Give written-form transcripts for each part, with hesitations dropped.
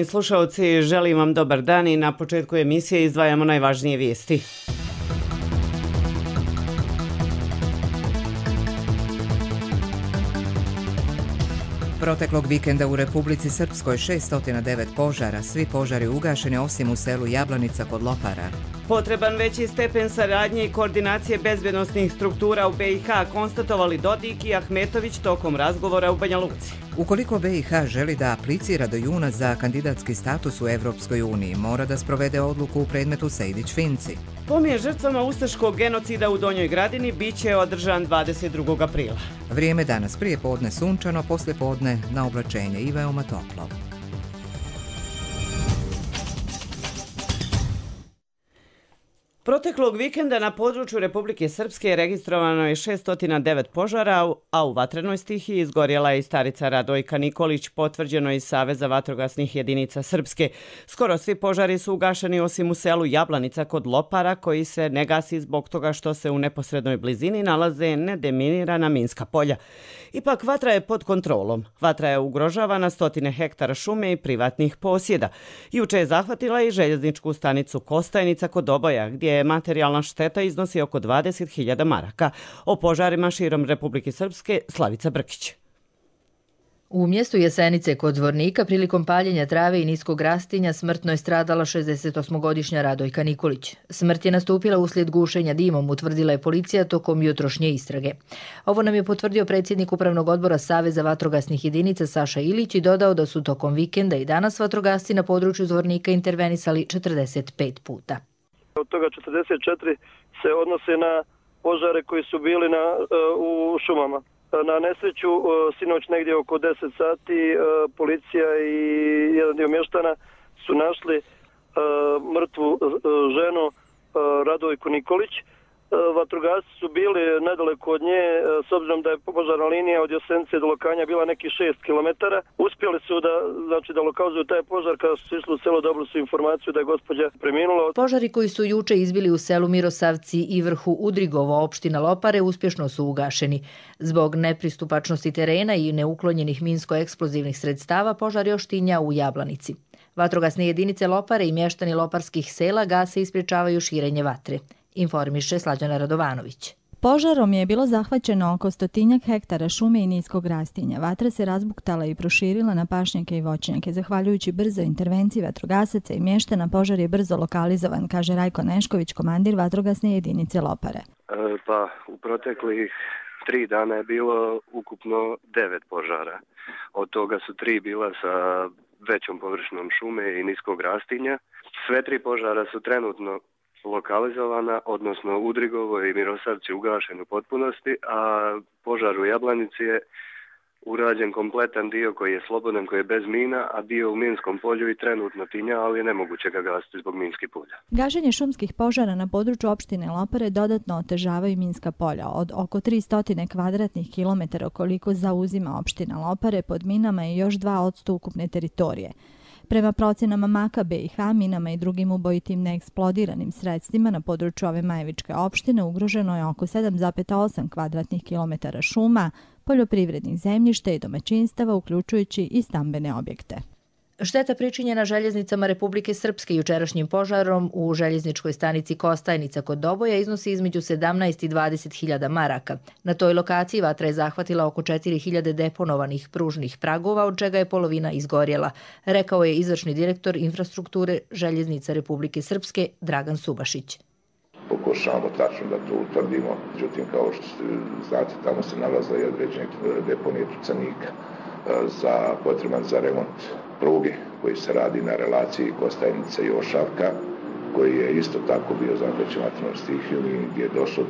Slušalci, želim vam dobar dan i na početku emisije izdvajamo najvažnije vijesti. Proteklog vikenda u Republici Srpskoj 609 požara, svi požari ugašeni osim u selu Jablanica kod Lopara. Potreban veći stepen saradnje i koordinacije bezbednosnih struktura u BiH konstatovali Dodik i Ahmetović tokom razgovora u Banja Luci. Ukoliko BiH želi da aplicira do juna za kandidatski status u Evropskoj uniji, mora da sprovede odluku u predmetu Sejdić-Finci. Pomije žrtvama ustaškog genocida u Donjoj Gradini biće održan 22. aprila. Vrijeme danas prije podne sunčano, poslije podne na oblačenje i veoma toplo. Proteklog vikenda na području Republike Srpske registrovano je 609 požara, a u vatrenoj stihiji izgorjela je i starica Radojka Nikolić, potvrđeno iz Saveza vatrogasnih jedinica Srpske. Skoro svi požari su ugašeni osim u selu Jablanica kod Lopara, koji se ne gasi zbog toga što se u neposrednoj blizini nalaze nedeminirana minska polja. Ipak vatra je pod kontrolom. Vatra je ugrožavana stotine hektara šume i privatnih posjeda. Juče je zahvatila i željezničku stanicu Kostajnica kod Doboja, gdje materijalna šteta iznosi oko 20.000 maraka. O požarima širom Republike Srpske Slavica Brkić. U mjestu Jesenice kod Zvornika prilikom paljenja trave i niskog rastinja smrtno je stradala 68-godišnja Radojka Nikolić. Smrt je nastupila uslijed gušenja dimom, utvrdila je policija tokom jutrošnje istrage. Ovo nam je potvrdio predsjednik Upravnog odbora Saveza vatrogasnih jedinica Saša Ilić i dodao da su tokom vikenda i danas vatrogasci na području Zvornika intervenisali 45 puta. Od toga 44 se odnose na požare koji su bili u šumama. Na nesreću, sinoć negdje oko 10 sati, policija i jedan dio mještana su našli mrtvu ženu Radojku Nikolić. Vatrogasci su bili nedaleko od nje, s obzirom da je požarna linija od Jesenice do Lokanja bila nekih 6 km. Uspjeli su da lokalizuju taj požar. Kada su išli u selo, dobili su informaciju da je gospođa preminula. Požari koji su juče izbili u selu Mirosavci i vrhu Udrigovo, opština Lopare, uspješno su ugašeni. Zbog nepristupačnosti terena i neuklonjenih minsko-eksplozivnih sredstava, požar još tinja u Jablanici. Vatrogasne jedinice Lopare i mještani loparskih sela gase i sprječavaju širenje vatre. Informiše Slađana Radovanović. Požarom je bilo zahvaćeno oko 100 hektara šume i niskog rastinja. Vatra se razbuktala i proširila na pašnjake i voćnjake. Zahvaljujući brzoj intervenciji vatrogasaca i mještana, požar je brzo lokalizovan, kaže Rajko Nešković, komandir vatrogasne jedinice Lopare. U proteklih 3 dana je bilo ukupno 9 požara. Od toga su 3 bila sa većom površinom šume i niskog rastinja. Sve 3 požara su trenutno lokalizovana, odnosno Udrigovo i Mirosavci ugašen u potpunosti, a požar u Jablanici je urađen kompletan dio koji je slobodan, koji je bez mina, a dio u minskom polju i trenutno tinja, ali je nemoguće ga gasiti zbog minskih polja. Gašenje šumskih požara na području opštine Lopare dodatno otežavaju minska polja. Od oko 300 kvadratnih kilometara koliko zauzima opština Lopare, pod minama je još 2% ukupne teritorije. Prema procjenama MAK-a BiH, minama i drugim ubojitim neeksplodiranim sredstvima na području ove Majevičke opštine ugroženo je oko 7,8 kvadratnih kilometara šuma, poljoprivrednih zemljišta i domaćinstava, uključujući i stambene objekte. Šteta pričinjena željeznicama Republike Srpske jučerašnjim požarom u željezničkoj stanici Kostajnica kod Doboja iznosi između 17 i 20.000 maraka. Na toj lokaciji vatra je zahvatila oko 4.000 deponovanih pružnih pragova, od čega je polovina izgorjela, rekao je izvršni direktor infrastrukture željeznica Republike Srpske Dragan Subašić. Pokušavamo tačno da to utvrdimo, međutim, kao što znate, tamo se nalaze i određene deponije tucanika potreban za remont pruge koji se radi na relaciji Kostajnica i Ošavka, koji je isto tako bio zahvaćen vatrenom stihijom i gdje je došlo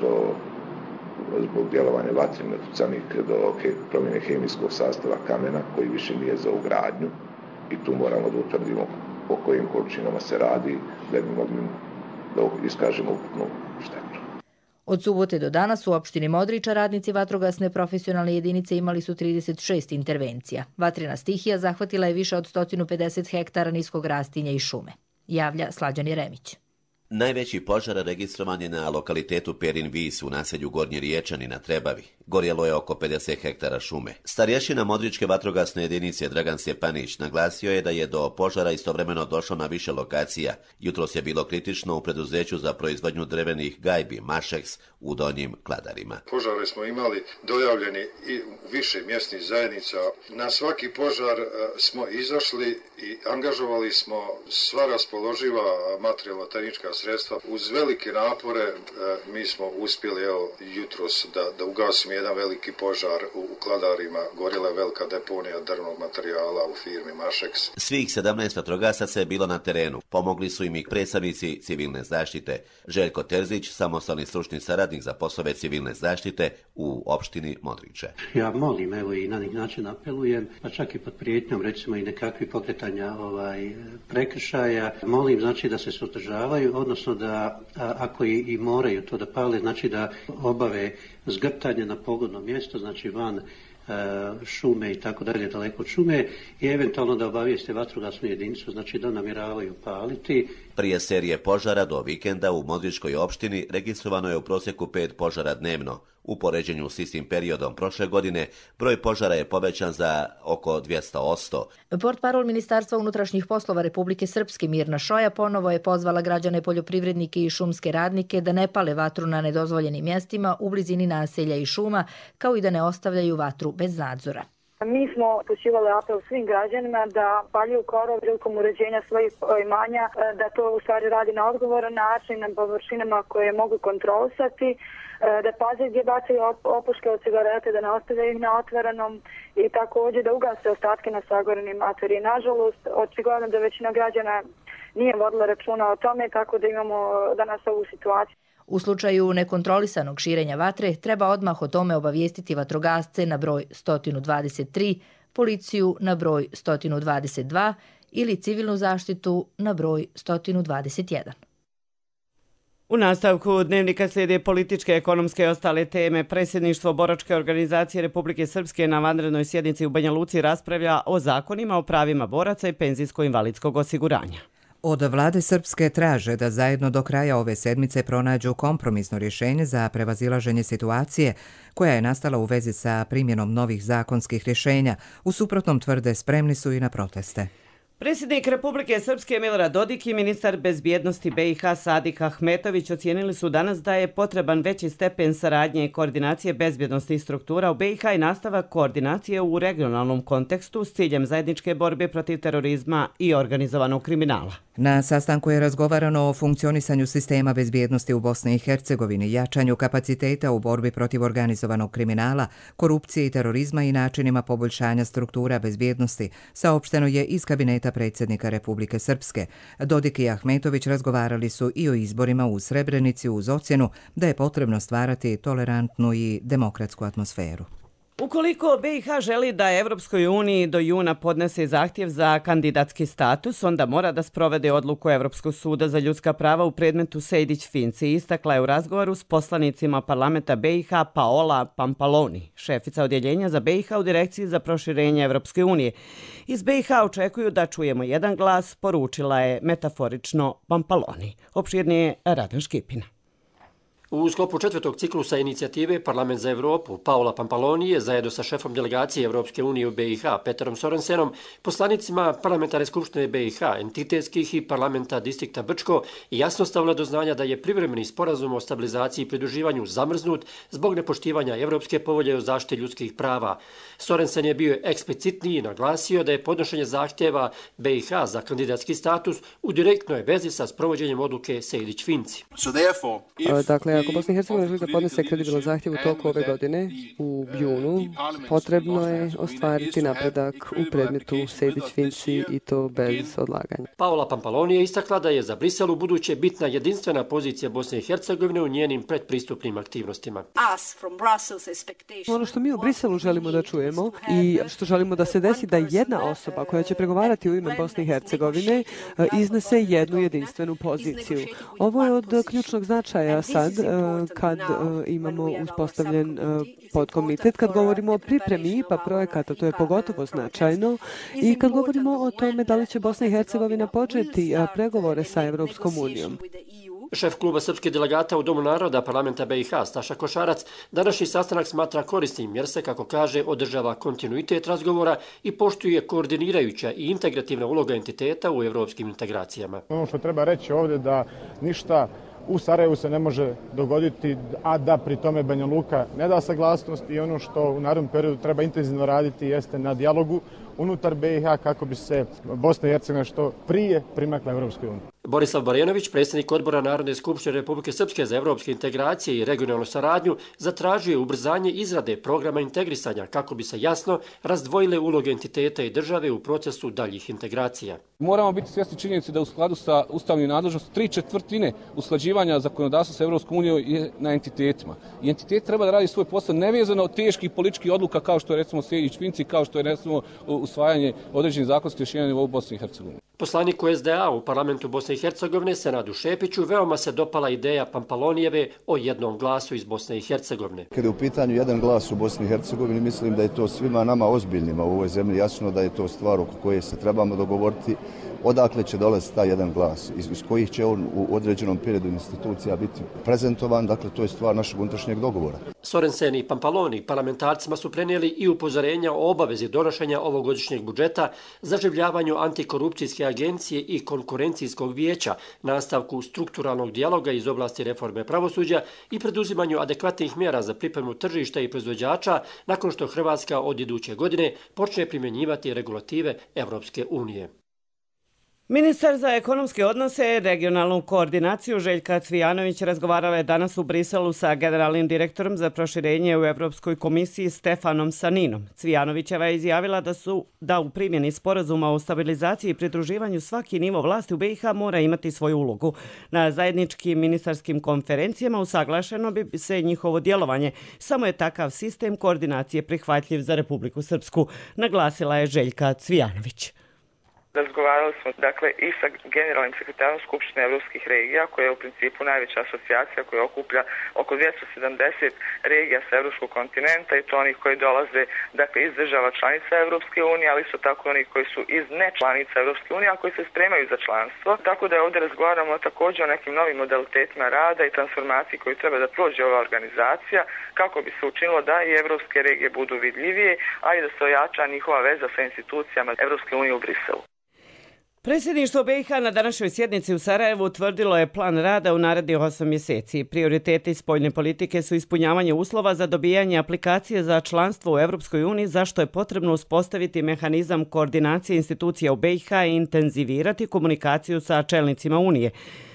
zbog djelovanja vatrene tucanika do promjene hemijskog sastava kamena koji više nije za ugradnju i tu moramo da utvrdimo po kojim količinama se radi da bi mogli da iskažemo ukupnu štetu. Od subote do danas u opštini Modriča radnici vatrogasne profesionalne jedinice imali su 36 intervencija. Vatrena stihija zahvatila je više od 150 hektara niskog rastinja i šume. Javlja Slađan Jeremić. Najveći požar registrovan je na lokalitetu Perin Vis u naselju Gornji Riječani na Trebavi. Gorjelo je oko 50 hektara šume. Starješina Modričke vatrogasne jedinice Dragan Stjepanić naglasio je da je do požara istovremeno došlo na više lokacija. Jutros je bilo kritično u preduzeću za proizvodnju drevenih gajbi Mašeks u Donjim Kladarima. Požare smo imali dojavljeni i u više mjesnih zajednica. Na svaki požar smo izašli i angažovali smo sva raspoloživa materijalno-tehnička sredstva. Uz velike napore mi smo uspjeli jutros da ugasimo jedan veliki požar u Kladarima. Gorjela je velika deponija drvnog materijala u firmi Mašeks. Svih 17 vatrogasaca je bilo na terenu. Pomogli su im i predstavnici civilne zaštite. Željko Terzić, samostalni stručni saradnik za poslove civilne zaštite u opštini Modriče. Ja molim, evo i na neki način apelujem, pa čak i pod prijetnjom, recimo i nekakvi pokretanja prekršaja, molim znači da se suzdržavaju, odnosno da ako i moraju to da pale, znači da obave zgrtanje na pogodno mjesto, znači van šume i tako dalje, daleko od šume, i eventualno da obavijeste vatrogasnu jedinicu, znači da namjeravaju paliti. Prije serije požara do vikenda u Modričkoj opštini registrovano je u prosjeku 5 požara dnevno. U poređenju s istim periodom prošle godine broj požara je povećan za oko 200%. Portparol Ministarstva unutrašnjih poslova Republike Srpske Mirna Šoja ponovo je pozvala građane, poljoprivrednike i šumske radnike da ne pale vatru na nedozvoljenim mjestima u blizini naselja i šuma, kao i da ne ostavljaju vatru bez nadzora. Mi smo upućivali apel svim građanima da paljuju korov prilikom uređenja svojih imanja, da to u stvari radi na odgovoran način, na površinama koje mogu kontrolisati, da paze gdje bacaju opuške od cigarete, da ne ostavljaju ih na otvorenom i također da ugase ostatke na sagorenim materiji. Nažalost, očigledno da većina građana nije vodila računa o tome, tako da imamo danas ovu situaciju. U slučaju nekontrolisanog širenja vatre treba odmah o tome obavijestiti vatrogasce na broj 123, policiju na broj 122 ili civilnu zaštitu na broj 121. U nastavku dnevnika slijede političke, ekonomske i ostale teme. Predsjedništvo Boračke organizacije Republike Srpske na vanrednoj sjednici u Banja Luci raspravlja o zakonima o pravima boraca i penzijsko-invalidskog osiguranja. Od vlade Srpske traže da zajedno do kraja ove sedmice pronađu kompromisno rješenje za prevazilaženje situacije koja je nastala u vezi sa primjenom novih zakonskih rješenja. U suprotnom, tvrde, spremni su i na proteste. Predsjednik Republike Srpske Milorad Dodik i ministar bezbjednosti BiH Sadik Ahmetović ocijenili su danas da je potreban veći stepen saradnje i koordinacije bezbjednostnih struktura u BiH i nastavak koordinacije u regionalnom kontekstu s ciljem zajedničke borbe protiv terorizma i organizovanog kriminala. Na sastanku je razgovarano o funkcionisanju sistema bezbjednosti u Bosni i Hercegovini, jačanju kapaciteta u borbi protiv organizovanog kriminala, korupcije i terorizma i načinima poboljšanja struktura bezbjednosti, saopšteno je iz kabineta predsjednika Republike Srpske. Dodik i Ahmetović razgovarali su i o izborima u Srebrenici uz ocjenu da je potrebno stvarati tolerantnu i demokratsku atmosferu. Ukoliko BiH želi da Evropskoj uniji do juna podnese zahtjev za kandidatski status, onda mora da sprovede odluku Evropskog suda za ljudska prava u predmetu Sejdić-Finci, istakla je u razgovoru s poslanicima parlamenta BiH Paola Pampaloni, šefica odjeljenja za BiH u Direkciji za proširenje Evropske unije. Iz BiH očekuju da čujemo jedan glas, poručila je metaforično Pampaloni. Opširnije Radan Škipina. U sklopu četvrtog ciklusa inicijative Parlament za Evropu, Paola Pampaloni je zajedno sa šefom delegacije Evropske unije u BiH, Peterom Sorensenom, poslanicima Parlamentarne skupštine BiH, entitetskih i parlamenta distrikta Brčko jasno stavila do znanja da je privremeni sporazum o stabilizaciji i pridruživanju zamrznut zbog nepoštivanja Evropske povelje o zaštiti ljudskih prava. Sorensen je bio eksplicitniji i naglasio da je podnošenje zahtjeva BiH za kandidatski status u direktnoj vezi sa sprovođenjem odluke Sejdić-Finci. Dakle, ako Bosna i Hercegovina želi da podnese kredibilan zahtjev u toku ove godine, u junu, potrebno je ostvariti napredak u predmetu Sejdić-Finci i to bez odlaganja. Paola Pampaloni je istakla da je za Brisel u buduće bitna jedinstvena pozicija Bosne i Hercegovine u njenim predpristupnim aktivnostima. Ono što mi u Briselu želimo da čujemo i što želimo da se desi da jedna osoba koja će pregovarati u ime Bosne i Hercegovine iznese jednu jedinstvenu poziciju. Ovo je od ključnog značaja sad kad imamo uspostavljen podkomitet, kad govorimo o pripremi IPA projekata, to je pogotovo značajno, i kad govorimo o tome da li će Bosna i Hercegovina početi pregovore sa Evropskom unijom. Šef kluba srpskih delegata u Domu naroda parlamenta BiH, Staša Košarac, današnji sastanak smatra korisnim jer se, kako kaže, održava kontinuitet razgovora i poštuje koordinirajuća i integrativna uloga entiteta u evropskim integracijama. Ono što treba reći ovdje da ništa u Sarajevu se ne može dogoditi, a da pri tome Banja Luka ne da saglasnost, i ono što u narednom periodu treba intenzivno raditi jeste na dijalogu unutar BiH kako bi se Bosna i Hercegovina što prije primakla Evropskoj uniji. Borislav Barjanović, predsjednik odbora Narodne skupštine Republike Srpske za evropske integracije i regionalnu saradnju, zatražuje ubrzanje izrade programa integrisanja kako bi se jasno razdvojile uloge entiteta i države u procesu daljih integracija. Moramo biti svjesni činjenice da u skladu sa ustavnim nadležnostima 3/4 usklađivanja zakonodavstva sa Evropskom unijom je na entitetima. I entitet treba da radi svoj posao nevezano od teških političkih odluka kao što je recimo Sejdić-Finci, kao što je recimo usvajanje određenih zakonskih rješenja u Bosni i Hercegovini. Poslaniku SDA u parlamentu Bosne i Hercegovine, Senadu Šepiću, veoma se dopala ideja Pampalonijeve o jednom glasu iz Bosne i Hercegovine. Kada je u pitanju jedan glas u Bosni i Hercegovini, mislim da je to svima nama ozbiljnima u ovoj zemlji jasno da je to stvar oko koje se trebamo dogovoriti odakle će dolaziti taj jedan glas, iz kojih će on u određenom periodu institucija biti prezentovan, dakle to je stvar našeg unutrašnjeg dogovora. Sorensen i Pampaloni parlamentarcima su prenijeli i upozorenja o obavezi donošenja ovogodišnjeg budžeta, zaživljavanju antikorupcijske agencije i konkurencijskog vijeća, nastavku strukturalnog dijaloga iz oblasti reforme pravosuđa i preduzimanju adekvatnih mjera za pripremu tržišta i proizvođača nakon što Hrvatska od iduće godine počne primjenjivati regulative Evropske unije. Ministar za ekonomske odnose i regionalnu koordinaciju Željka Cvijanović razgovarala je danas u Briselu sa generalnim direktorom za proširenje u Evropskoj komisiji Stefanom Saninom. Cvijanovićeva je izjavila da u primjeni sporazuma o stabilizaciji i pridruživanju svaki nivo vlasti u BiH mora imati svoju ulogu. Na zajedničkim ministarskim konferencijama usaglašeno bi se njihovo djelovanje. Samo je takav sistem koordinacije prihvatljiv za Republiku Srpsku, naglasila je Željka Cvijanović. Razgovarali smo i sa generalnim sekretarom Skupštine evropskih regija, koja je u principu najveća asocijacija koja okuplja oko 270 regija sa evropskog kontinenta i to onih koji dolaze iz država članica Evropske unije, ali isto tako onih koji su iz nečlanica Evropske unije, a koji se spremaju za članstvo. Tako da ovdje razgovaramo također o nekim novim modalitetima rada i transformaciji koji treba da prođe ova organizacija kako bi se učinilo da i evropske regije budu vidljivije, a i da se ojača njihova veza sa institucijama Evropske unije u Briselu. Predsjedništvo BiH na današnjoj sjednici u Sarajevu utvrdilo je plan rada u narednih 8 mjeseci. Prioriteti spoljne politike su ispunjavanje uslova za dobijanje aplikacije za članstvo u Evropskoj uniji, zašto je potrebno uspostaviti mehanizam koordinacije institucija u BiH i intenzivirati komunikaciju sa čelnicima Unije.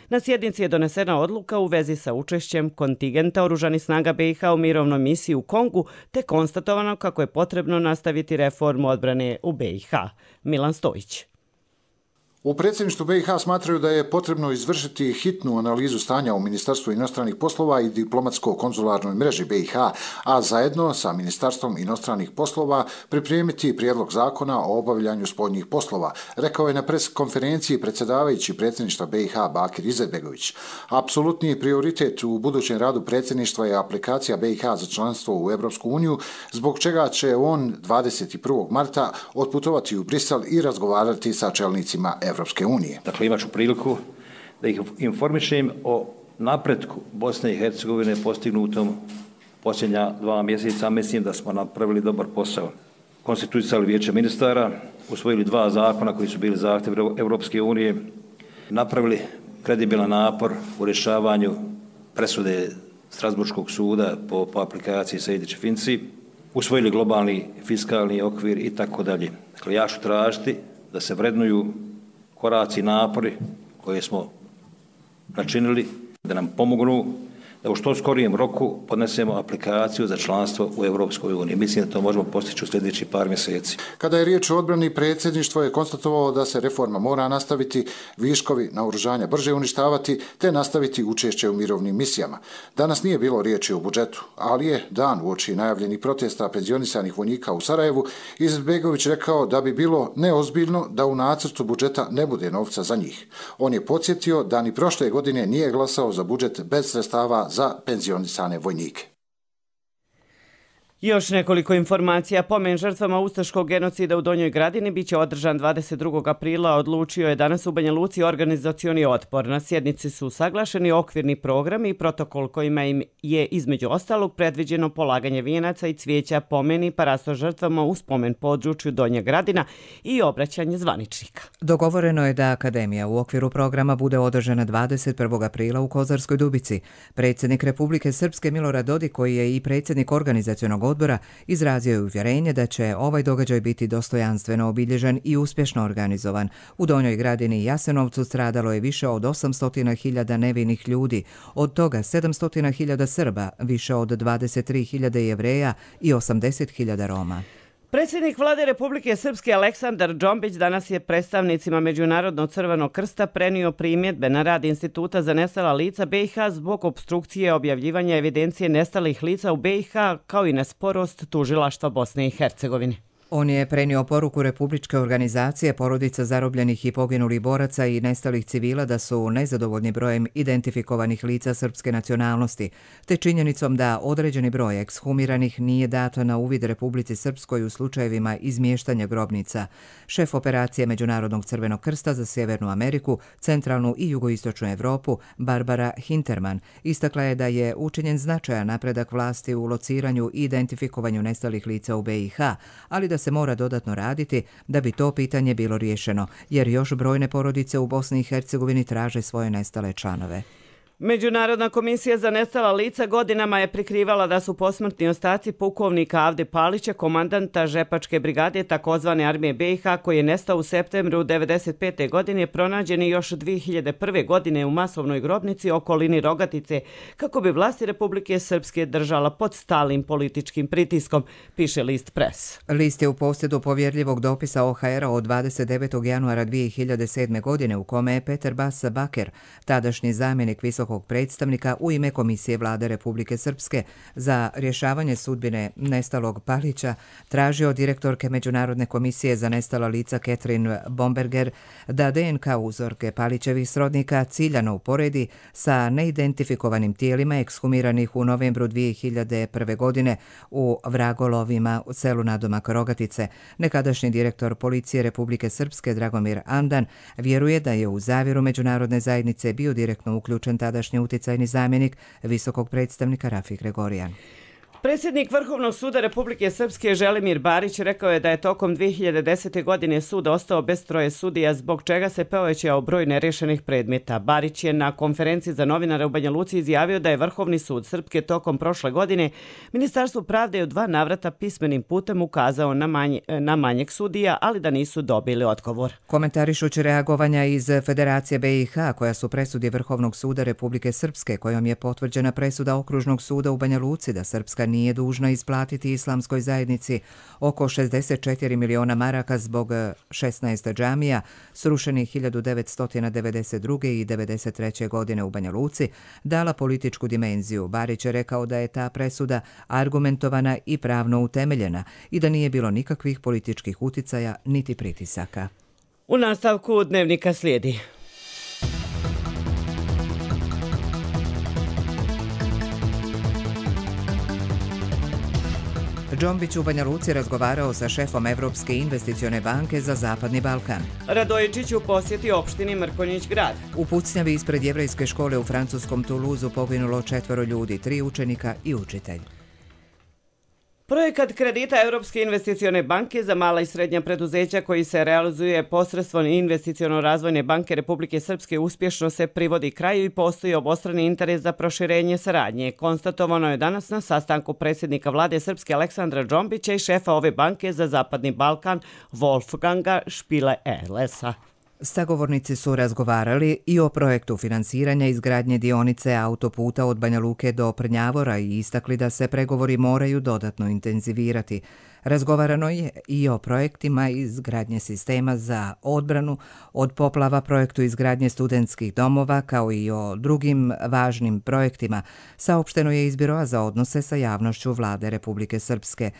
Na sjednici je donesena odluka u vezi sa učešćem kontingenta oružanih snaga BiH u mirovnoj misiji u Kongu, te konstatovano kako je potrebno nastaviti reformu odbrane u BiH. Milan Stojić. U predsjedništvu BiH smatraju da je potrebno izvršiti hitnu analizu stanja u Ministarstvu inostranih poslova i diplomatsko-konzularnoj mreži BiH, a zajedno sa Ministarstvom inostranih poslova pripremiti prijedlog zakona o obavljanju spoljnih poslova, rekao je na pres konferenciji predsjedavajući predsjedništva BiH Bakir Izetbegović. Apsolutni prioritet u budućem radu predsjedništva je aplikacija BiH za članstvo u Evropsku uniju, zbog čega će on 21. marta otputovati u Brisel i razgovarati sa čelnicima Evropske unije. Dakle, imat ću priliku da ih informišem o napretku Bosne i Hercegovine postignutom posljednja 2 mjeseca. Mislim da smo napravili dobar posao. Konstituisali vijeće ministara, usvojili 2 zakona koji su bili zahtjev Evropske unije, napravili kredibilan napor u rješavanju presude Strasburškog suda po aplikaciji Sejdić-Finci, usvojili globalni fiskalni okvir i tako dalje. Dakle, ja ću tražiti da se vrednuju koraci i napori koje smo načinili, da nam pomognu da u što skorijem roku podnesemo aplikaciju za članstvo u Evropskoj uniji. Mislim da to možemo postići u sljedećih par mjeseci. Kada je riječ o odbrani, predsjedništvo je konstatovalo da se reforma mora nastaviti, viškovi naoružanja brže uništavati, te nastaviti učešće u mirovnim misijama. Danas nije bilo riječi o budžetu, ali je dan uoči najavljenih protesta penzionisanih vojnika u Sarajevu Izetbegović rekao da bi bilo neozbiljno da u nacrtu budžeta ne bude novca za njih. On je podsjetio da ni prošle godine nije glasao za budžet bez sredstava za penzionisane vojnike. Još nekoliko informacija. Pomen žrtvama ustaškog genocida u Donjoj Gradini biće održan 22. aprila, odlučio je danas u Banja Luci organizacioni odbor. Na sjednici su usaglašeni okvirni programi i protokol kojima im je između ostalog predviđeno polaganje vijenaca i cvijeća pomeni parasto žrtvama u spomen području Donja Gradina i obraćanje zvaničnika. Dogovoreno je da Akademija u okviru programa bude održana 21. aprila u Kozarskoj Dubici. Predsjednik Republike Srpske Milorad Dodik, koji je i predsjednik organizacionog odbora, izrazio je uvjerenje da će ovaj događaj biti dostojanstveno obilježen i uspješno organizovan. U Donjoj Gradini i Jasenovcu stradalo je više od 800.000 nevinih ljudi, od toga 700.000 Srba, više od 23.000 Jevreja i 80.000 Roma. Predsjednik Vlade Republike Srpske Aleksandar Džombić danas je predstavnicima Međunarodnog Crvenog krsta prenio primjedbe na rad Instituta za nestala lica BiH zbog opstrukcije objavljivanja evidencije nestalih lica u BiH kao i na sporost tužilaštva Bosne i Hercegovine. On je prenio poruku Republičke organizacije porodica zarobljenih i poginulih boraca i nestalih civila da su nezadovoljni brojem identifikovanih lica srpske nacionalnosti, te činjenicom da određeni broj ekshumiranih nije dato na uvid Republici Srpskoj u slučajevima izmještanja grobnica. Šef operacije Međunarodnog Crvenog krsta za Sjevernu Ameriku, Centralnu i Jugoistočnu Evropu, Barbara Hinterman, istakla je da je učinjen značajan napredak vlasti u lociranju i identifikovanju nestalih lica u BiH, ali da se mora dodatno raditi da bi to pitanje bilo riješeno, jer još brojne porodice u Bosni i Hercegovini traže svoje nestale članove. Međunarodna komisija za nestala lica godinama je prikrivala da su posmrtni ostaci pukovnika Avde Palića, komandanta Žepačke brigade takozvane armije BiH, koji je nestao u septembru 1995. godine, pronađeni još 2001. godine u masovnoj grobnici okolini Rogatice, kako bi vlasti Republike Srpske držala pod stalnim političkim pritiskom, piše list Pres. List je u posjedu povjerljivog dopisa OHR-a od 29. januara 2007. godine u kome je Peter Bas Baker, tadašnji zamjenik visokog predstavnika u ime Komisije Vlade Republike Srpske za rješavanje sudbine nestalog Palića, tražio direktorke Međunarodne komisije za nestala lica Catherine Bomberger da DNK uzorke Palićevih srodnika ciljano uporedi sa neidentifikovanim tijelima ekshumiranih u novembru 2001. godine u Vragolovima u selu nadomak Rogatice. Nekadašnji direktor Policije Republike Srpske Dragomir Andan vjeruje da je u zavjeru međunarodne zajednice bio direktno uključen tadašnji uticajni zamjenik visokog predstavnika Rafi Gregorijan. Predsjednik Vrhovnog suda Republike Srpske Želimir Barić rekao je da je tokom 2010. godine sud ostao bez 3 sudija, zbog čega se povećao broj nerješenih predmeta. Barić je na konferenciji za novinare u Banja Luci izjavio da je Vrhovni sud Srpske tokom prošle godine Ministarstvu pravde u 2 navrata pismenim putem ukazao na manjeg sudija, ali da nisu dobili odgovor. Komentarišući reagovanja iz Federacije BiH, koja su presudi Vrhovnog suda Republike Srpske, kojom je potvrđena presuda Okružnog suda u Banja Luci da Srpska nije dužna isplatiti islamskoj zajednici oko 64 miliona maraka zbog 16 džamija srušenih 1992. i 1993. godine u Banja Luci, dala političku dimenziju. Barić je rekao da je ta presuda argumentovana i pravno utemeljena i da nije bilo nikakvih političkih uticaja niti pritisaka. U nastavku dnevnika slijedi. Džombić u Banja Luci razgovarao sa šefom Evropske investicione banke za Zapadni Balkan. Radojičić u posjeti opštini Mrkonjić grad. U pucnjavi ispred jevrejske škole u francuskom Toulouseu poginulo 4 ljudi, 3 učenika i učitelj. Projekat kredita Europske investicione banke za mala i srednja preduzeća koji se realizuje posredstvom Investiciono-razvojne banke Republike Srpske uspješno se privodi kraju i postoji obostrani interes za proširenje saradnje. Konstatovano je danas na sastanku predsjednika Vlade Srpske Aleksandra Džombića i šefa ove banke za Zapadni Balkan Wolfganga Špile-Erlesa. Sagovornici su razgovarali i o projektu finansiranja izgradnje dionice autoputa od Banja Luke do Prnjavora i istakli da se pregovori moraju dodatno intenzivirati. Razgovarano je i o projektima izgradnje sistema za odbranu od poplava, projektu izgradnje studentskih domova, kao i o drugim važnim projektima, saopšteno je iz Biroa za odnose sa javnošću Vlade Republike Srpske.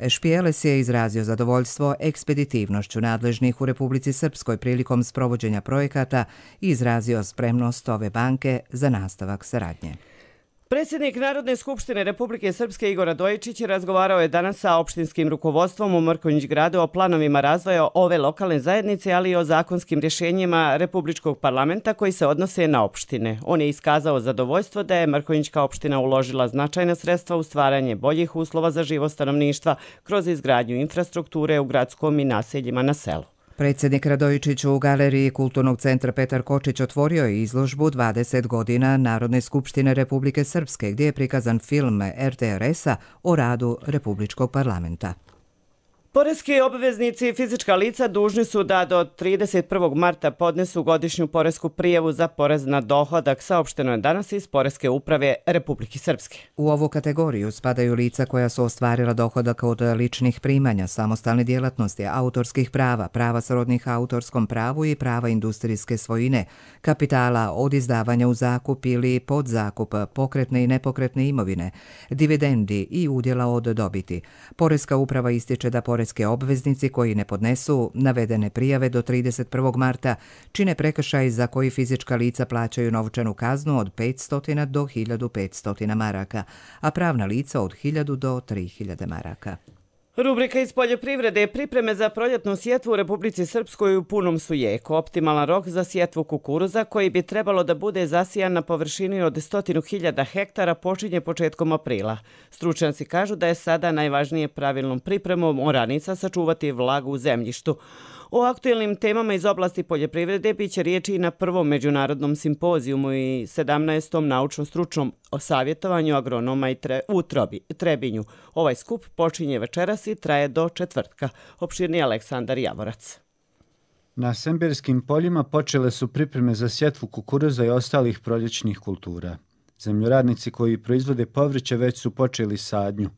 Špijeles je izrazio zadovoljstvo ekspeditivnošću nadležnih u Republici Srpskoj prilikom sprovođenja projekata i izrazio spremnost ove banke za nastavak saradnje. Predsjednik Narodne skupštine Republike Srpske Igor Radojičić razgovarao je danas sa opštinskim rukovodstvom u Mrkonjić gradu o planovima razvoja ove lokalne zajednice, ali i o zakonskim rješenjima Republičkog parlamenta koji se odnose na opštine. On je iskazao zadovoljstvo da je Mrkonjićka opština uložila značajna sredstva u stvaranje boljih uslova za život stanovništva kroz izgradnju infrastrukture u gradskom i naseljima na selu. Predsjednik Radojičić u Galeriji Kulturnog centra Petar Kočić otvorio je izložbu 20 godina Narodne skupštine Republike Srpske, gdje je prikazan film RTRS-a o radu Republičkog parlamenta. Poreski obveznici i fizička lica dužni su da do 31. marta podnesu godišnju poresku prijavu za porez na dohodak, saopšteno je danas iz Poreske uprave Republike Srpske. U ovu kategoriju spadaju lica koja su ostvarila dohodak od ličnih primanja, samostalne djelatnosti, autorskih prava, prava srodnih autorskom pravu i prava industrijske svojine, kapitala od izdavanja u zakup ili podzakup, pokretne i nepokretne imovine, dividendi i udjela od dobiti. Poreska uprava ističe da poreske obveznici koji ne podnesu navedene prijave do 31. marta čine prekršaj za koji fizička lica plaćaju novčanu kaznu od 500 do 1500 maraka, a pravna lica od 1000 do 3000 maraka. Rubrika iz poljoprivrede. Pripreme za proljetnu sjetvu u Republici Srpskoj u punom su jeku. Optimalan rok za sjetvu kukuruza, koji bi trebalo da bude zasijan na površini od 100.000 hektara, počinje početkom aprila. Stručnjaci kažu da je sada najvažnije pravilnom pripremom oranica sačuvati vlagu u zemljištu. O aktuelnim temama iz oblasti poljoprivrede biće riječi i na prvom međunarodnom simpozijumu i 17. naučno-stručnom savjetovanju agronoma u Trebinju. Ovaj skup počinje večeras i traje do četvrtka. Opširni Aleksandar Javorac. Na semberskim poljima počele su pripreme za sjetvu kukuruza i ostalih proljećnih kultura. Zemljoradnici koji proizvode povrće već su počeli sadnju.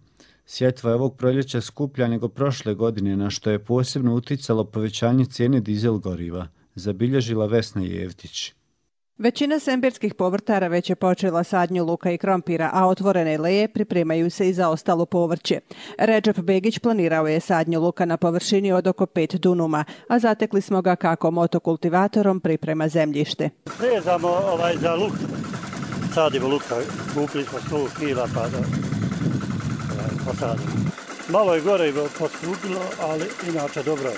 Sjetva je ovog proljeća skuplja nego prošle godine, na što je posebno uticalo povećanje cijene dizel goriva, zabilježila Vesna Jevtić. Većina semberskih povrtara već je počela sadnju luka i krompira, a otvorene leje pripremaju se i za ostalo povrće. Redžep Begić planirao je sadnju luka na površini od oko 5 dunuma, a zatekli smo ga kako motokultivatorom priprema zemljište. Rezamo za luk, sadimo luka, kupili smo 100 kila pa da posadimo. Malo je gore poskupilo, ali inače dobro je.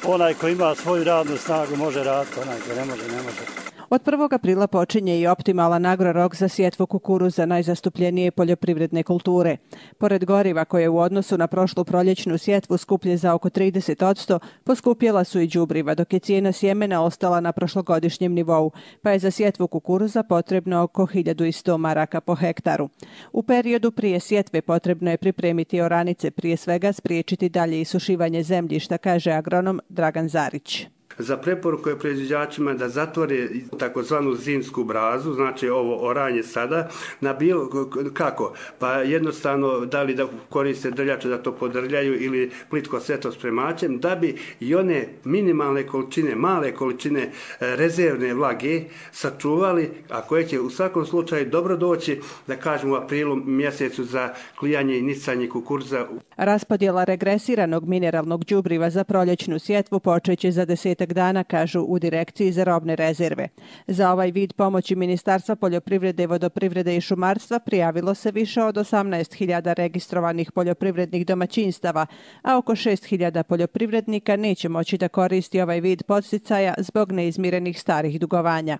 Onaj ko ima svoju radnu snagu može raditi, onaj ko ne može, ne može. Od 1. aprila počinje i optimalan agrorok za sjetvu kukuruza, najzastupljenije poljoprivredne kulture. Pored goriva koje u odnosu na prošlu proljećnu sjetvu skuplje za oko 30%, poskupjela su i đubriva, dok je cijena sjemena ostala na prošlogodišnjem nivou, pa je za sjetvu kukuruza potrebno oko 1100 maraka po hektaru. U periodu prije sjetve potrebno je pripremiti oranice, prije svega spriječiti dalje isušivanje zemljišta, kaže agronom Dragan Zarić. Za preporuku je proizvođačima da zatvore takozvanu zimsku brazu, znači ovo oranje sada, na bilo kako, pa jednostavno da li da koriste drljače da to podrljaju ili plitko seto spremačem, da bi i one minimalne količine, male količine rezervne vlage sačuvali, a koje će u svakom slučaju dobro doći, da kažemo u aprilu mjesecu za klijanje i nicanje kukuruza. Raspodjela regresiranog mineralnog đubriva za proljećnu sjetvu počeće za 10 dana, kažu u Direkciji za robne rezerve. Za ovaj vid pomoći Ministarstva poljoprivrede, vodoprivrede i šumarstva prijavilo se više od 18.000 registrovanih poljoprivrednih domaćinstava, a oko 6.000 poljoprivrednika neće moći da koristi ovaj vid podsticaja zbog neizmirenih starih dugovanja.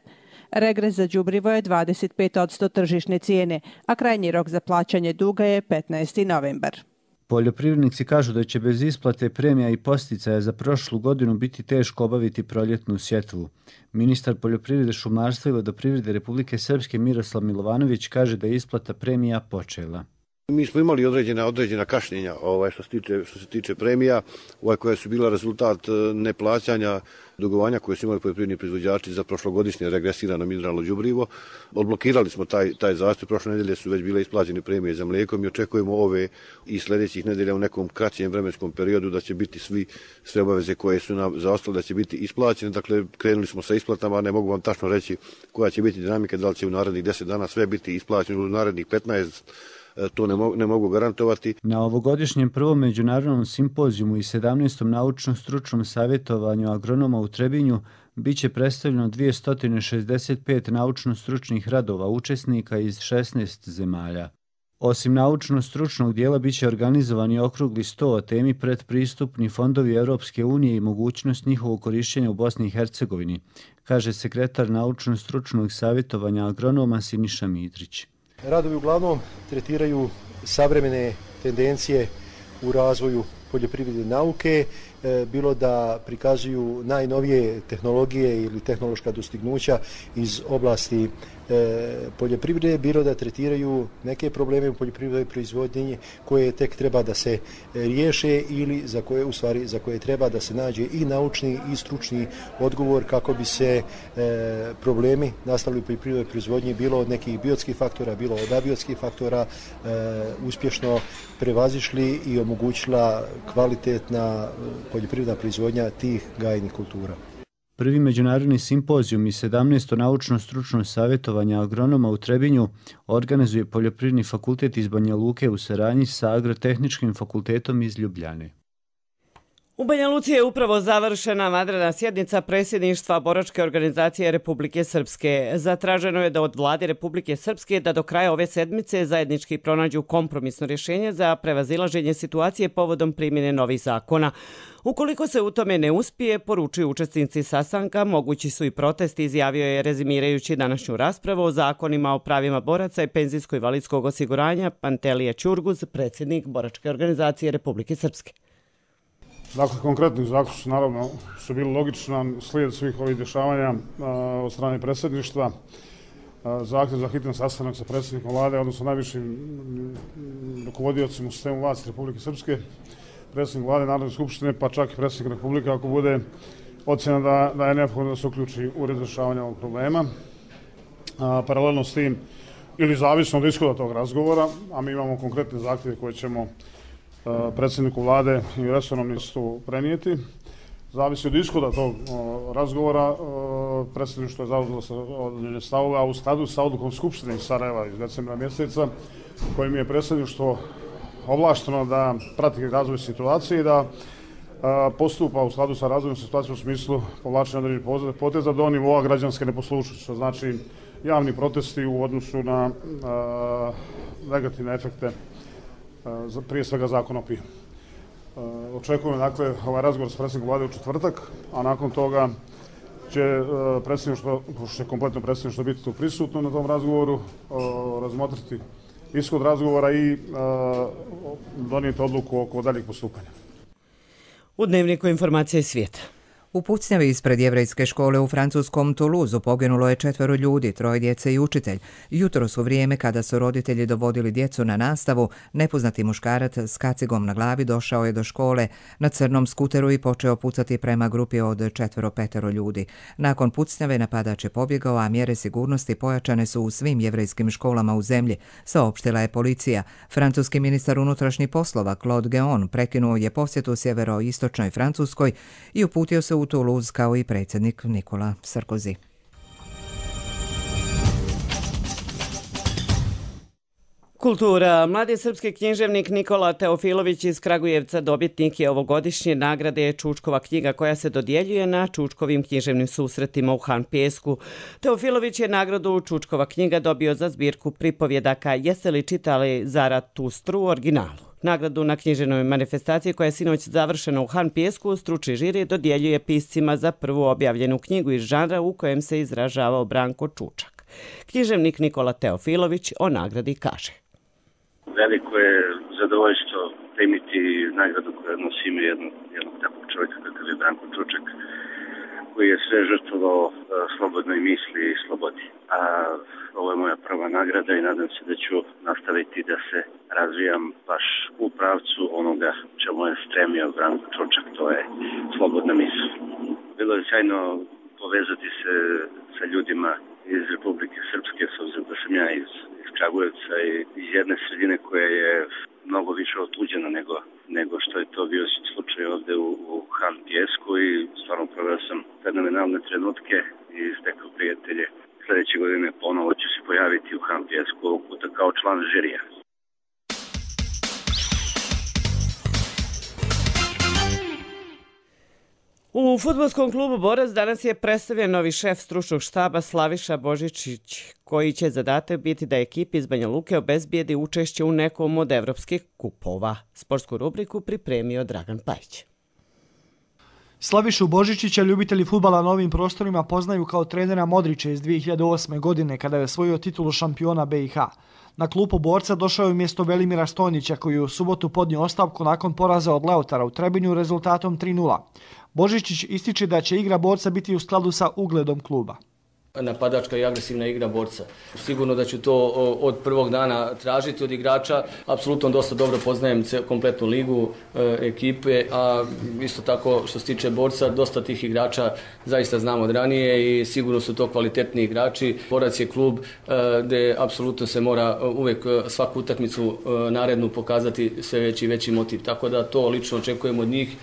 Regres za đubrivo je 25% tržišne cijene, a krajnji rok za plaćanje duga je 15. novembar. Poljoprivrednici kažu da će bez isplate premija i posticaja za prošlu godinu biti teško obaviti proljetnu sjetvu. Ministar poljoprivrede, šumarstva i vodoprivrede Republike Srpske Miroslav Milovanović kaže da je isplata premija počela. Mi smo imali određena kašnjenja što se tiče premija, koja su bila rezultat neplaćanja dugovanja koje su imali poljoprivredni proizvođači za prošlogodišnje regresirano mineralno đubrivo. Odblokirali smo taj zastoj, prošle nedelje su već bile isplaćene premije za mlijeko. Mi očekujemo ove i sljedećih nedelja u nekom kraćem vremenskom periodu da će biti sve obaveze koje su nam zaostale da će biti isplaćene. Dakle, krenuli smo sa isplatama, ne mogu vam tačno reći koja će biti dinamika, da li će u narednih 10 dana sve biti isplaćeno, u narednih 15, to ne mogu garantovati. Na ovogodišnjem prvom međunarodnom simpozijumu i 17. naučno-stručnom savjetovanju agronoma u Trebinju biće predstavljeno 265 naučno-stručnih radova učesnika iz 16 zemalja. Osim naučno-stručnog dijela biće organizovani okrugli sto o temi predpristupni fondovi Europske unije i mogućnost njihovog korišćenja u Bosni i Hercegovini, kaže sekretar naučno-stručnog savjetovanja agronoma Siniša Mitrić. Radovi uglavnom tretiraju savremene tendencije u razvoju poljoprivredne nauke, bilo da prikazuju najnovije tehnologije ili tehnološka dostignuća iz oblasti poljoprivrede, bilo da tretiraju neke probleme u poljoprivrednoj proizvodnji koje tek treba da se riješe ili za koje treba da se nađe i naučni i stručni odgovor kako bi se problemi nastali u poljoprivrednoj proizvodnji, bilo od nekih biotskih faktora, bilo od abiotskih faktora, uspješno prevazišli i omogućila kvalitetna poljoprivredna proizvodnja tih gajnih kultura. Prvi međunarodni simpozijum i 17. naučno-stručno savjetovanje agronoma u Trebinju organizuje Poljoprivredni fakultet iz Banja Luke u saradnji sa Agrotehničkim fakultetom iz Ljubljane. U Banja Luci je upravo završena vanredna sjednica predsjedništva Boračke organizacije Republike Srpske. Zatraženo je da od vlade Republike Srpske da do kraja ove sedmice zajednički pronađu kompromisno rješenje za prevazilaženje situacije povodom primjene novih zakona. Ukoliko se u tome ne uspije, poručuju učesnici sastanka, mogući su i protesti, izjavio je rezimirajući današnju raspravu o zakonima o pravima boraca i penzijsko-invalidskog osiguranja Pantelija Ćurguz, predsjednik Boračke organizacije Republike Srpske. Dakle, konkretni zaključci naravno su bili logičan slijed svih ovih dešavanja od strane predsjedništva. Zahtjev za hitan sastanak sa predsjednikom vlade, odnosno najvišim rukovodiocima u sistemu vlasti Republike Srpske, predsjednik vlade, Narodne skupštine, pa čak i predsjednik Republike, ako bude ocjena da je neophodno da se uključi u razrješavanje ovog problema. Paralelno s tim, ili zavisno od ishoda tog razgovora, a mi imamo konkretne zahtjeve koje ćemo predsjedniku vlade i resornom ministru prenijeti. Zavisi od ishoda tog razgovora, predsjedništvo je zauzelo određene stavove, a u skladu sa odlukom Skupštine iz Sarajeva iz decembra mjeseca, kojim je predsjedništvo ovlašteno da prati razvoj situacije i da postupa u skladu sa razvojem situacije u smislu povlačenja određenih poteza do nivoa građanske neposlušnosti, što znači javni protesti u odnosu na negativne efekte prije svega zakona o pivu. Očekujemo dakle ovaj razgovor s predsjednikom vlade u četvrtak, a nakon toga će predsjedništvo, pošto će kompletno predsjedništvo biti tu prisutno na tom razgovoru, razmotriti ishod razgovora i donijeti odluku oko daljeg postupanja. U Dnevniku informacije svijeta. U pucnjavi ispred jevrejske škole u francuskom Toulouseu poginulo je 4 ljudi, 3 djece i učitelj. Jutros u vrijeme kada su roditelji dovodili djecu na nastavu, nepoznati muškarac s kacigom na glavi došao je do škole na crnom skuteru i počeo pucati prema grupi od 4-5 ljudi. Nakon pucnjave napadač je pobjegao, a mjere sigurnosti pojačane su u svim jevrejskim školama u zemlji, saopštila je policija. Francuski ministar unutrašnjih poslova Claude Guéant prekinuo je posjetu sjeveroistočnoj Francuskoj i uputio se u Toulouse kao i predsjednik Nikola Sarkozy. Kultura. Mladi srpski književnik Nikola Teofilović iz Kragujevca dobitnik je ovogodišnje nagrade Čučkova knjiga koja se dodjeljuje na Čučkovim književnim susretima u Han Pijesku. Teofilović je nagradu Čučkova knjiga dobio za zbirku pripovjedaka Jeste li čitali Zaratustru u originalu. Nagradu na književnoj manifestaciji koja je sinoć završena u Han Pijesku stručni žiri dodjeljuje piscima za prvu objavljenu knjigu iz žanra u kojem se izražavao Branko Čučak. Književnik Nikola Teofilović o nagradi kaže: Veliko je zadovoljstvo primiti nagradu koja nosi ime jednog takvog čovjeka kakav je Branko Čučak, koji je sve žrtvovao slobodnoj misli i slobodi. A ovo je moja prva nagrada i nadam se da ću nastaviti da se razvijam baš u pravcu onoga čemu je stremio Branko Čučak, to je slobodna misl. Bilo je sjajno povezati se sa ljudima iz Republike Srpske, s obzirom da sam ja iz Kragujevca i iz jedne sredine koja je mnogo više otuđena nego što je to bio slučaj ovde u Han Pijesku i stvarno proveo sam fenomenalne trenutke i stekao prijatelje. Sljedeće godine ponovo ću se pojaviti u Han Pijesku, ovog puta kao član žirija. U U fudbalskom klubu Borac danas je predstavljen novi šef stručnog štaba Slaviša Božičić, koji će zadatak biti da ekipi iz Banja Luke obezbijedi učešće u nekom od evropskih kupova. Sportsku rubriku pripremio Dragan Pajić. Slavišu Božičića ljubitelji fudbala na ovim prostorima poznaju kao trenera Modrića iz 2008. godine kada je osvojio titulu šampiona BiH. Na klupu Borca došao je umjesto Velimira Stojnića koji je u subotu podnio ostavku nakon poraza od Leotara u Trebinju rezultatom 3:0. Božičić ističe da će igra Borca biti u skladu sa ugledom kluba. Napadačka i agresivna igra Borca. Sigurno da ću to od prvog dana tražiti od igrača. Apsolutno dosta dobro poznajem kompletnu ligu, ekipe, a isto tako što se tiče Borca, dosta tih igrača zaista znam od ranije i sigurno su to kvalitetni igrači. Borac je klub gdje apsolutno se mora uvijek svaku utakmicu narednu pokazati sve veći i veći motiv. Tako da to lično očekujem od njih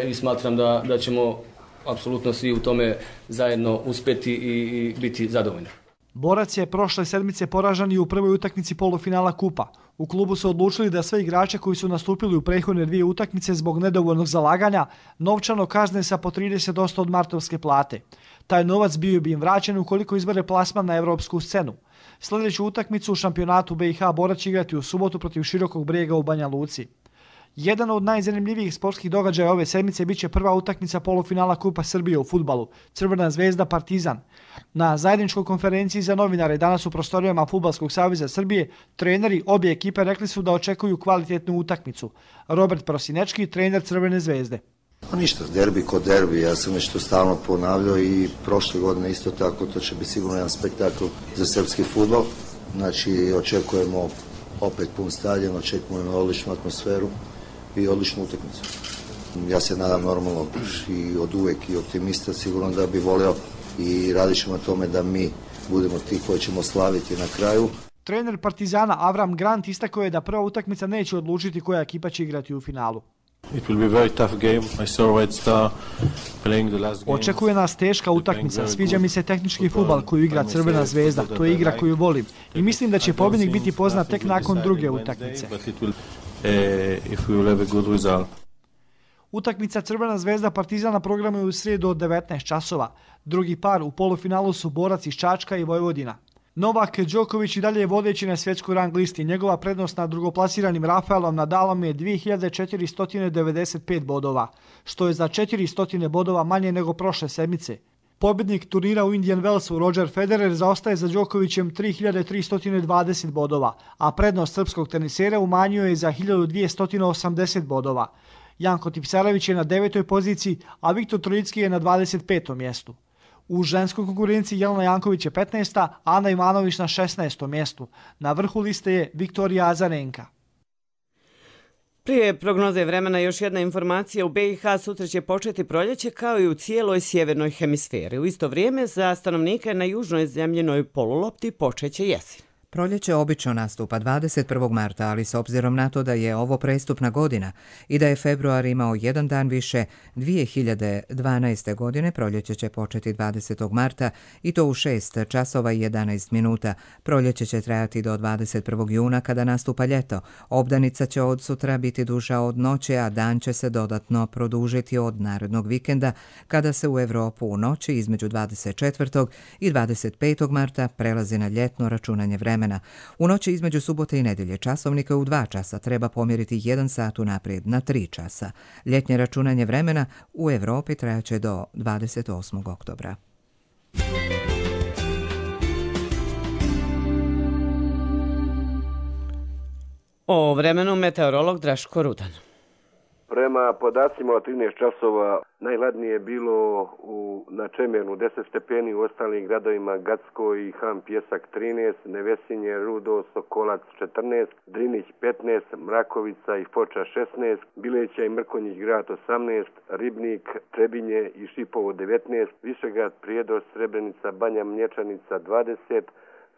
i smatram da ćemo apsolutno svi u tome zajedno uspjeti i biti zadovoljni. Borac je prošle sedmice poražen i u prvoj utakmici polufinala kupa. U klubu su odlučili da sve igrače koji su nastupili u prethodne dvije utakmice zbog nedovoljnog zalaganja novčano kazne sa po 30% od martovske plate. Taj novac bio bi im vraćen ukoliko izbere plasman na evropsku scenu. Sljedeću utakmicu u šampionatu BiH Borac će igrati u subotu protiv Širokog Brijega u Banja Luci. Jedan od najzanimljivijih sportskih događaja ove sedmice biće prva utakmica polufinala Kupa Srbije u fudbalu, Crvena zvezda Partizan. Na zajedničkoj konferenciji za novinare danas u prostorijama Fudbalskog saveza Srbije treneri obje ekipe rekli su da očekuju kvalitetnu utakmicu. Robert Prosinečki, trener Crvene zvezde. Ništa, derbi kod derbi, ja sam nešto stalno ponavljao i prošle godine isto tako, to će biti sigurno jedan spektakl za srpski fudbal. Znači očekujemo opet pun stadion, očekujemo odličnu atmosferu i odličnu utakmicu. Ja se nadam normalno i od uvek i optimista, sigurno da bi volio i radit ćemo na tome da mi budemo ti koji ćemo slaviti na kraju. Trener Partizana Avram Grant istakao je da prva utakmica neće odlučiti koja ekipa će igrati u finalu. Očekuje nas teška utakmica, sviđa mi se tehnički fudbal koju igra Crvena zvezda, to je igra koju volim i mislim da će pobjednik biti poznat tek nakon druge utakmice. Utakmica Crvena zvezda Partizan na programu je u srijedu od 19 časova. Drugi par u polufinalu su Borac iz Čačka i Vojvodina. Novak Đoković i dalje je vodeći na svjetskoj rang listi. Njegova prednost nad drugoplasiranim Rafaelom Nadalom je 2495 bodova, što je za 400 bodova manje nego prošle sedmice. Pobjednik turnira u Indian Wellsu Roger Federer zaostaje za Đokovićem 3320 bodova, a prednost srpskog tenisera umanjio je za 1280 bodova. Janko Tipsarević je na 9. poziciji, a Viktor Trojicki je na 25. mjestu. U ženskoj konkurenciji Jelena Janković je 15. a Ana Ivanović na 16. mjestu. Na vrhu liste je Viktorija Azarenka. Prije prognoze vremena još jedna informacija. U BiH sutra će početi proljeće kao i u cijeloj sjevernoj hemisferi. U isto vrijeme za stanovnike na južnoj zemljinoj polulopti počeće jesen. Proljeće obično nastupa 21. marta, ali s obzirom na to da je ovo prestupna godina i da je februar imao jedan dan više, 2012. godine proljeće će početi 20. marta i to u 6 časova i 11 minuta. Proljeće će trajati do 21. juna kada nastupa ljeto. Obdanica će od sutra biti duža od noći, a dan će se dodatno produžiti od narednog vikenda kada se u Evropu u noći između 24. i 25. marta prelazi na ljetno računanje vremena. U noći između subote i nedjelje časovnika u 2 časa treba pomjeriti 1 sat unaprijed na 3 časa. Ljetnje računanje vremena u Evropi trajaće do 28. oktobra. O vremenu meteorolog Draško Rudan. Prema podacima od 13 časova najhladnije je bilo na Čemernu 10 stepeni, u ostalim gradovima Gacko i Han Pjesak 13, Nevesinje, Rudo, Sokolac 14, Drinić 15, Mrakovica i Foča 16, Bileća i Mrkonjić grad 18, Ribnik, Trebinje i Šipovo 19, Višegrad, Prijedor, Srebrenica, Banja Mlječanica 20,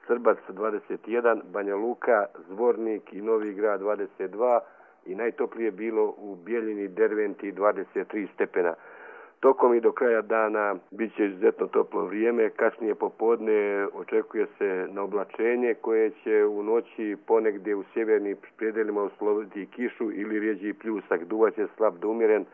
Srbac 21, Banja Luka, Zvornik i Novi Grad 22, i najtoplije bilo u Bijeljini, Derventi 23 stepena. Tokom i do kraja dana bit će izuzetno toplo vrijeme, kasnije popodne očekuje se na oblačenje koje će u noći ponegdje u sjevernim predelima usloviti kišu ili rijeđi pljusak. Duvaće slab do umjeren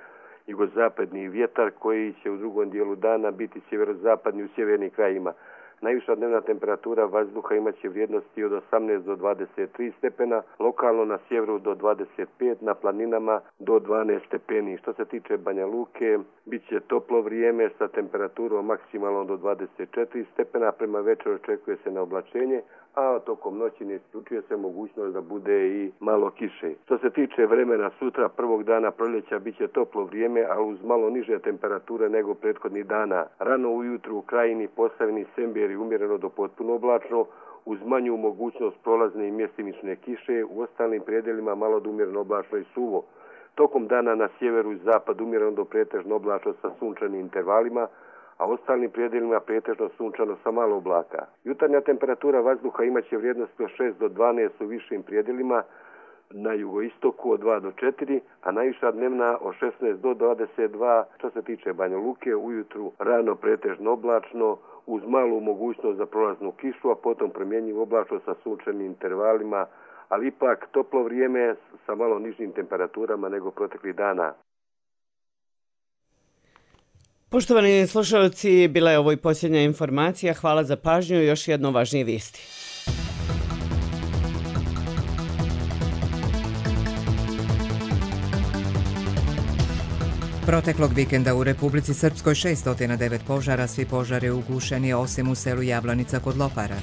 jugozapadni vjetar koji će u drugom dijelu dana biti sjeverozapadni u sjevernim krajima. Najviša dnevna temperatura vazduha imaće vrijednosti od 18 do 23 stepena, lokalno na sjeveru do 25, na planinama do 12 stepeni. Što se tiče Banja Luke, bit će toplo vrijeme sa temperaturom maksimalno do 24 stepena, prema večeru očekuje se na oblačenje, a tokom noći ne isključuje se mogućnost da bude i malo kiše. Što se tiče vremena sutra, prvog dana proljeća, bit će toplo vrijeme, ali uz malo niže temperature nego prethodnih dana. Rano ujutru u Krajini, Posavini, Semberi umjereno do potpuno oblačno, uz manju mogućnost prolazne i mjestimične kiše, u ostalim predjelima malo do umjereno oblačno i suvo. Tokom dana na sjeveru i zapadu umjereno do pretežno oblačno sa sunčanim intervalima, a ostalim predjelima pretežno sunčano sa malo oblaka. Jutarnja temperatura vazduha imaće vrijednosti od 6 do 12 u višim predjelima, na jugoistoku od 2 do 4, a najviša dnevna od 16 do 22. Što se tiče Banja Luke, ujutru rano pretežno oblačno, uz malu mogućnost za prolaznu kišu, a potom promjenjivo oblačno sa sunčanim intervalima, ali ipak toplo vrijeme sa malo nižim temperaturama nego proteklih dana. Poštovani slušalci, bila je ovo i posljednja informacija. Hvala za pažnju i još jedno važnije vijesti. Proteklog vikenda u Republici Srpskoj 609 požara, svi požari ugušeni osim u selu Jablanica kod Lopara.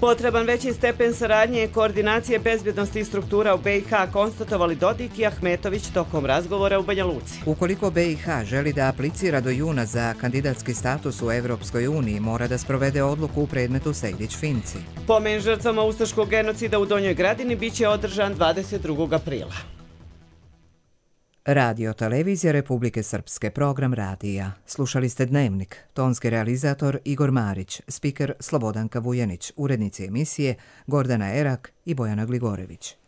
Potreban veći stepen saradnje i koordinacije bezbjednosti struktura u BiH konstatovali Dodik i Ahmetović tokom razgovora u Banja Luci. Ukoliko BiH želi da aplicira do juna za kandidatski status u Evropskoj uniji, mora da sprovede odluku u predmetu Sejdić-Finci. Pomen žrtvama ustaškog genocida u Donjoj Gradini biće održan 22. aprila. Radio Televizija Republike Srpske, program radija. Slušali ste Dnevnik, tonski realizator Igor Marić, spiker Slobodanka Vujanić, urednici emisije Gordana Erak i Bojana Gligorević.